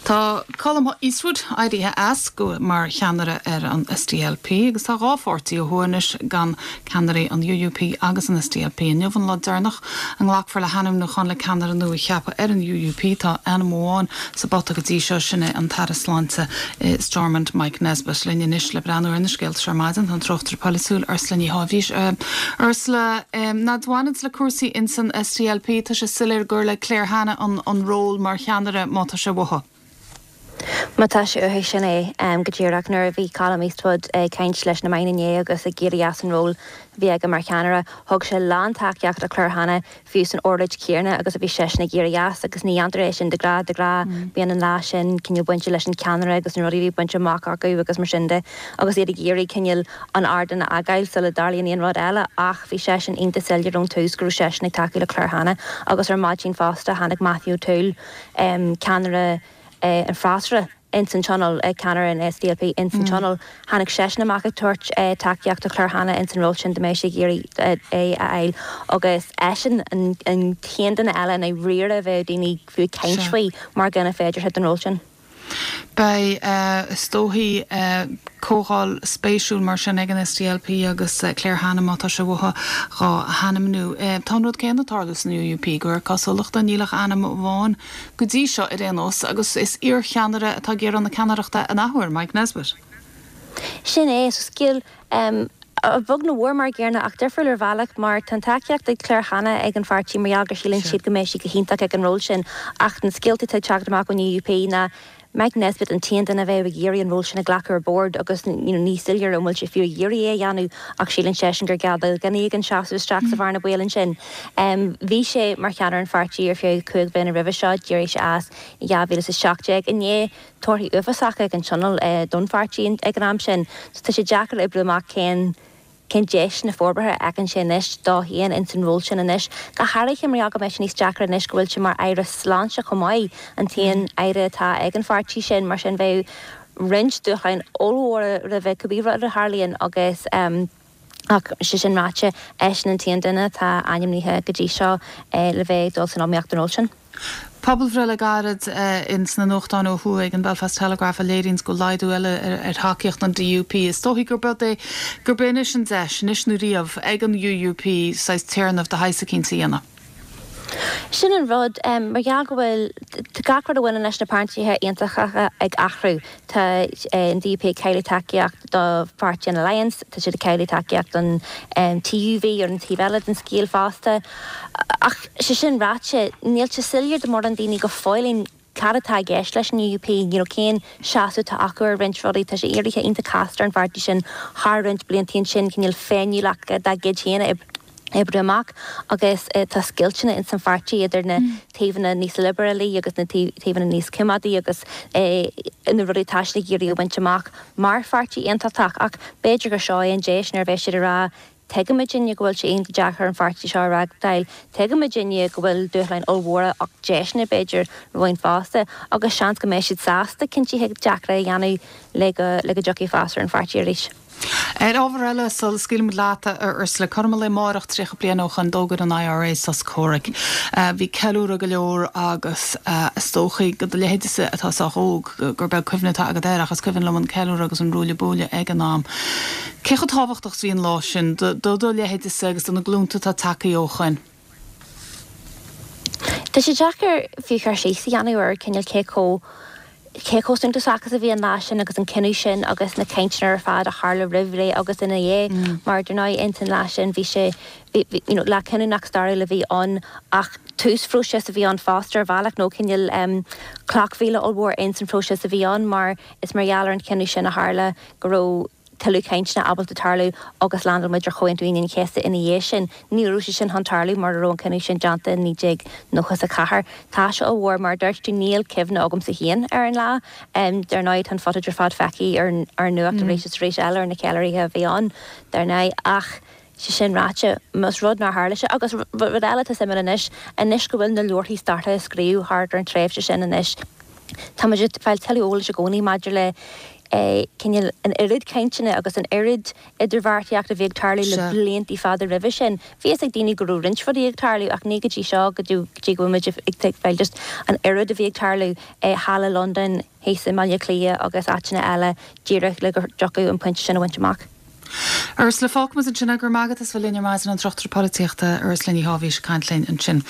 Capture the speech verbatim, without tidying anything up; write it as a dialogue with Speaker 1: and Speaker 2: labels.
Speaker 1: Tá Colum Eastwood éirithe as go mar cheannaire ar an S D L P agus tá dhá pháirtí ó thuaidh anois gan ceannairí, an U U P agus an S D L P. Inniu an lá deireanach a nglacfar le hainmniúchán le ceannaire nua a cheapadh ar an U U P. Tá ainm amháin sa bpota go dtí seo, sin é an tAire Sláinte i Stormont, Mike Nesbitt. Linn anois le breathnú ar na scéalta seo ar maidin an tráchtaire polaitiúil Ursula Ní Sháibhís. Ursula, ná bhaineann le cúrsaí in san S D L P, tá sé soiléir gur le Claire Hanna an, an ról mar cheannaire má tá sé uathu.
Speaker 2: Má tá sé uathu, sin é um, go díreach. Nuair a bhí Colum Eastwood ag caint leis na meáin inné agus ag éirí as an ról bhí aige mar cheannaire, thug sé lántacaíocht do Claire Hanna fiú san óráid chéanna agus a bhí seisean ag éirí as, agus ní dhéantar é sin de ghnáth de ghnáth mm. Bíonn an lá sin cineál bainte leis an ceannaire agus na rudaí bhí bainte amach acu agus mar sin de, agus iad ag iarraidh cineál an ardán a fhágáil sula dtarlaíonn aon rud eile, ach bhí seisean iontach soiléir ón tús go raibh seisean ag tacú le Claire Hanna. Agus ar maidin fosta tháinig Matthew O'Toole, um, ceannaire uh, an freasúra ins an Tionól, uh, ceannaire an S D L P ins an mm. Tionól, tháinig seisean amach ag tabhairt uh, tacaíocht do Claire Hanna ins an ról sin dá mbeadh sé ag iarraidh é a fháil, agus eisean an, an t-aon duine eile na riire bheith daoine fiú caint faoi mar dhuine féidir an ról sin.
Speaker 1: Beidh uh, is dóichí uh, comhdháil spéisiúil mar sin ag an S D L P agus uh, Claire Hanna, má tá sé uathu dhá hainmniú. Uh, tá rud céanna ag tarlú san U U P gur cosúlachta níl ach ainm amháin go dtí seo ar aon nós, agus is iarcheannaire atá ag iarraidh na ceannaireachta an athuair, Mike Nesbitt.
Speaker 2: Sin é so scil um, a bhog na bhór mar géarna ach difriúil ar bhealach, mar tá tacaíocht ag Claire Hanna ag an pháirtí mar gur síleann siad go mbeidh sí go hiontach ag an ról sin, ach an scéalta atá ag teacht amach ón U U P ná Mike Nesbitt an t-aon duine a bheith ag iarraidh an ról sin a ghlacadh ar bord, agus ní soiléir an bhfuil sé fiú ag iarraidh é a dhéanamh, ach síleann seisean gur geall gan an seasamh isteach sa bhearna bhaoil ansin. Um, bhí sé mar cheannaire an pháirtí ar feadh cúig bliana roimhe seo, d'éirigh sé as dhá mhíle is seacht déag inné torthaí uafásacha ag an Tionól uh, don pháirtí ag an am sin. So tá sé deacair oibriú amach cén cén deis na forbartha fheiceann sé anois dó féin in san ról sin anois. Go háirithe mar go mbeidh níos deacra anois go bhfuil sé mar aire sláinte chomh maith, an t-aon aire atá ag an pháirtí sin. Mar sin bheidh roinnt dúshláin ollmhóra roimhe cibé rud a tharlaíonn, agus um, ach sé sin ráite, eisean an t-aon duine atá ainmnithe go dtí seo eh, le bheith dul san iomaíocht an ról sin.
Speaker 1: Pobalbhreith le gairid uh, in sna nuachtáin ó thuaidh ag an Belfast Telegraph a léiríonn go laghdú eile ar, ar thacaíocht an D U P. Is dóichí gur bud é gur b'in an deis anois nó riamh ag an U U P saghas téarnamh de shaghas éicint a dhéanamh.
Speaker 2: Sin an rud, um, mar gheall go bhfuil gach rud a bhaineann leis na páirtithe aontachtacha ag athrú. Tá eh, an D U P ag cailleadh tacaíocht do Pháirtí an Alliance, tá siad ag cailleadh tacaíocht an um, T U V ar an taobh eile den scéal fosta. Ach sé sin ráite, níl sé soiléir do mhórán daoine go fóill cad atá i gceist leis an U U P, you know, cén seasamh atá acu ar roinnt rudaí. Tá sé éirithe iontach casta ar an pháirtí sin thar roinnt blianta sin cineál féiniúlacht dá gcuid féin oibriú amach, agus uh, tá scoilteanna in san pháirtí idir na mm. taobhanna níos liobrálaí agus na taobhanna níos coimeádaí agus uh, na rudaí atá siad ag iarraidh a bhaint amach mar pháirtí aontachtach. Ach b'fhéidir gur seo é an deis nuair a bheidh siad ag rá, "Tuigimidne go bhfuil sé iontach deacair an pháirtí seo a reáchtáil, tuigimidne go bhfuil dúshláin ollmhóra ach deiseanna b'fhéidir romhainn fosta," agus seans go mbeidh siad sásta cinntí deacra a dhéanamh le go le go dtiocfaidh fás ar an pháirtí arís.
Speaker 1: Ar ábhar eile sula scaoilimid leat, Ursula, cothrom an lae amárach tríocha bliain ó shin d'fhógair an I R A sos comhraic. Uh, bhí ceiliúradh go leor agus uh, is dóichí go do leithéidse atá sách óg gur beag cuimhne atá agat air, ach is cuimhin liom an ceiliúradh agus an ruaille buaille ag an am. Cé chomh tábhachtach bhí an lá sin do do leithéidse agus do na glúnta atá tagtha ó shin?
Speaker 2: Tá sé deacair fiú cur síos a dhéanamh ar cineál cé chomh cé chomh suntasach a bhí an lá sin agus an cinneadh sin agus na cainteanna ar fad a tharla roimh ré agus ina dhiaidh, mm. mar dar ndóigh in san lá sin bhí sé you know, lá cinniúnach stairiúil a bhí ann, ach tús phróiseas a bhí ann fosta ar bhealach, nó cineál um, cloch mhíle ollmhór in san phróiseas a bhí ann, mar is mar gheall ar an chinneadh sin a tharla go raibh tuilleadh cainteanna ábalta tarlú agus landáil muid ar Chomhaontú Aoine an Chéasta ina dhiaidh sin. Ní raibh sé sin chun tarlú mura raibh an cinneadh sin déanta naoi déag nócha a ceathair. Tá sé ollmhór. Mar dúirt tú, níl cuimhne agamsa féin ar an lá. Um, dar ndóigh tá an footage ar fad feicthe ar ar nuacht mm. arís is arís eile ar na ceiliúrtha a bhí ann dar ndóigh, ach sé sin ráite, más rud nár tharla sé, agus rud eile atá suimiúil anois, anois go bhfuil na leabharthaí staire a scríobhadh thart ar an tréimhse sin anois, tá muid ag fáil tuilleadh eolais i gcónaí maidir le cineál an oiread cainteanna agus an oiread idirbheartaíocht a bhí ag tarlú le blianta fada roimhe sin. Bhí a fhios ag daoine go raibh roinnt rudaí ag tarlú ach ní go dtí seo go dtí go bhfuil muid ag tuigbheáil just an oiread a bhí ag tarlú thall i Londain, thíos i mBaile Átha Cliath agus áiteanna eile díreach le go dtiocfadh an pointe sin a bhaint amach.
Speaker 1: Ursula fágfaimid ansin go raibh maith agat as bheith linn ar maidin an tráchtaire polaitíochta Ursula Ní Shábhís ag caint linn ansin.